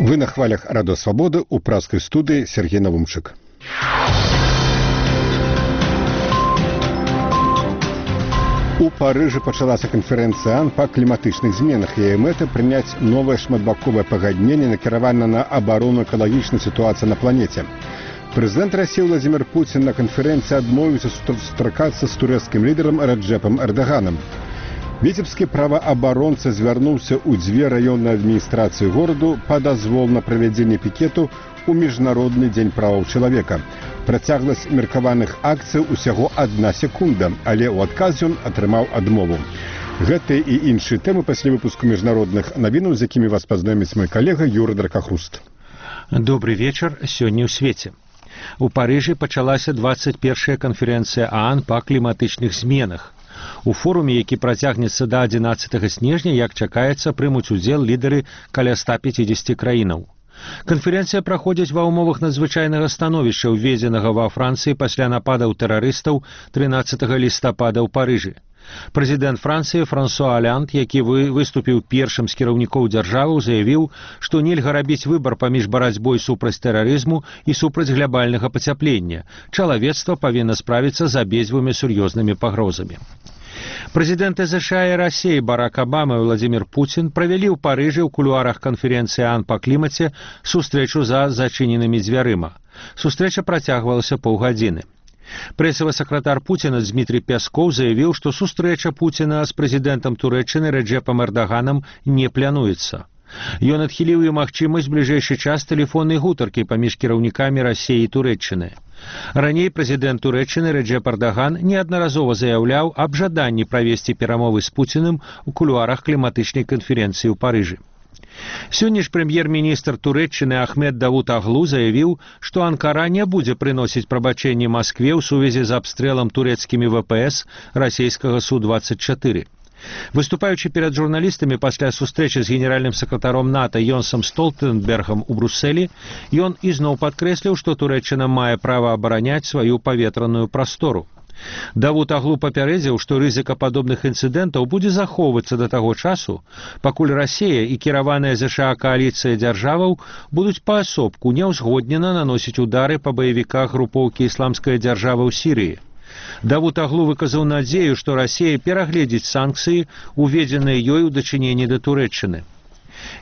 Вы на хвалях Радио Свободы у пражской студии Сергей Навумчик. У Парыжы пачалася канферэнцыя АН па кліматычных зменах. Яе мэта прыняць новае шматбаковае пагадненне, накіравана на абарону экалагічнай сітуацыі на планеце. Прэзідэнт Расіі Владзімір Пуцін на канферэнцыі адмовіўся сустракацца з турэцкім лідарам Раджэпам Эрдаганам. Віцебскі праваабаронца звярнуўся ў дзве раённыя адміністрацыі гораду па дазвол на правядзенне пікету у Міжнародны дзень правоў чалавека. Працягласць меркаваных акцый усяго 1 секунда, але ў адказ ён атрымаў адмову. Гэтыя і іншыя тэмы пасля выпуску міжнародных навінаў, з якімі вас пазнаёміць мой калега Юрый Дракахруст. Добрый вечар сёння ў свеце. У Парыжы пачалася 21-я канферэнцыя ААН па кліматычных зменах. У форуме, які працягнецца да 11 снежня, як чакаецца, прымуць удзел лідары каля 150 краінаў. Канферэнцыя праходзіць ва ўмовах надзвычайнага становішча, уведзенага ва Францыі пасля нападаў тэрарыстаў 13 лістапада ў Парыжы. Прэзідэнт Францыі Франсуа Олянд, які выступіў першым з кіраўнікоў дзяржавы, заявіў, што нельга рабіць выбар паміж барацьбой супраць тэрарызму і супраць глябальнага пацяплення. Чалавецтва павінна справіцца з абедзвюмі сур'ёзнымі пагрозамі. Прэзідэнты ЗША і Расіі Барак Абама і Владзімір Пуцін правялі ў Парыжы ў кулуарах канферэнцыі ААН па клімаце сустрэчу за зачыненымі дзвярыма. Сустрэча працягвалася паўгадзіны. Прэсавы сакратар Пуціна Дмітрий Пяскоў заявіў, што сустрэча Пуціна з прэзідэнтам Турэччыны Раджэпам Эрдаганам не плануецца. Ён адхіліў і магчымасць бліжэйшы час тэлефоннай гутаркі паміж кіраўнікамі Расіі і Турэччыны. Раней прэзідэнт Турэччыны Раджэп Эрдаган неаднаразова заяўляў аб жаданні правесці перамовы з Пуціным у кулуарах кліматычнай канферэнцыі ў Парыжы. Сёння ж прэм'ер-міністр Турэччыны Ахмед Давут-Аглу заявіў, што Анкара не будзе прыносіць прабачэнні Маскве ў сувязі з абстрэлам турэцкімі ВПС расійскага Су-24. Выступаючы перад журналістамі пасля сустрэчы з генеральным сакратаром НАТО Йонсом Столтенбергам у Брусселі, ён ізноў падкрэсліў, што Турэччына мае права абараняць сваю паветраную прастору. Давут-Аглу папярэдзіў, што рызыка падобных інцыдэнтаў будзе захоўвацца да таго часу, пакуль Расія і кіраваная ЗША кааліцыя дзяржаваў будуць паасобку няўзгоднена наносіць удары па баевіках групоўкі ісламская дзяржава ў Сірыі. Давут-Аглу выказаў надзею, што Расія перагледзіць санкцыі, уведзеныя ёй у дачыненні да Турэччыны.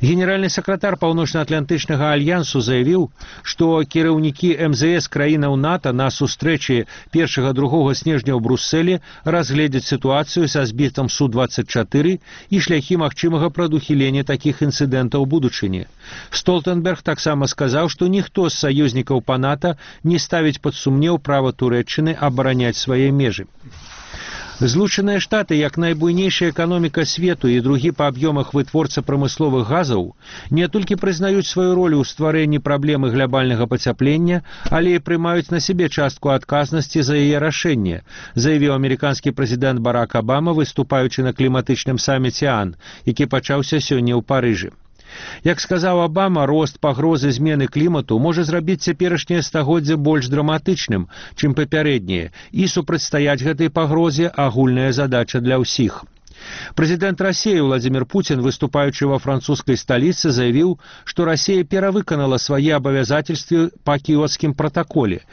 Генеральны сакратар Паўночна-Атлантычнага альянсу заявіў, што кіраўнікі МЗС краінаў НАТО на сустрэчы 1-2 снежня ў Брусселі разгледзяць сітуацыю са збітам Су-24 і шляхі магчымага прадухілення такіх інцыдэнтаў у будучыні. Столтенберг таксама сказаў, што ніхто з саюзнікаў па НАТО не ставіць пад сумнеў права Турэччыны абараняць свае межы. Злучаныя Штаты, як найбуйнейшая эканоміка свету і другі па аб'ёмах вытворца прамысловых газаў, не толькі прызнаюць сваю ролю ў стварэнні праблемы глябальнага пацяплення, але і прымаюць на сябе частку адказнасці за яе рашэнне, заявіў амерыканскі прэзідэнт Барак Абама, выступаючы на кліматычным саміце ААН, які пачаўся сёння ў Парыжы. Як сказаў Абама, рост пагрозы змены клімату можа зрабіць цяперашняе стагоддзе больш драматычным, чым папярэдняе, і супрацьстаяць гэтай пагрозе агульная задача для ўсіх. Прэзідэнт Расіі Владзімір Пуцін, выступаючы ва французскай сталіцы, заявіў, што Расія перавыканала свае абавязательствы па кіёцкім пратаколе.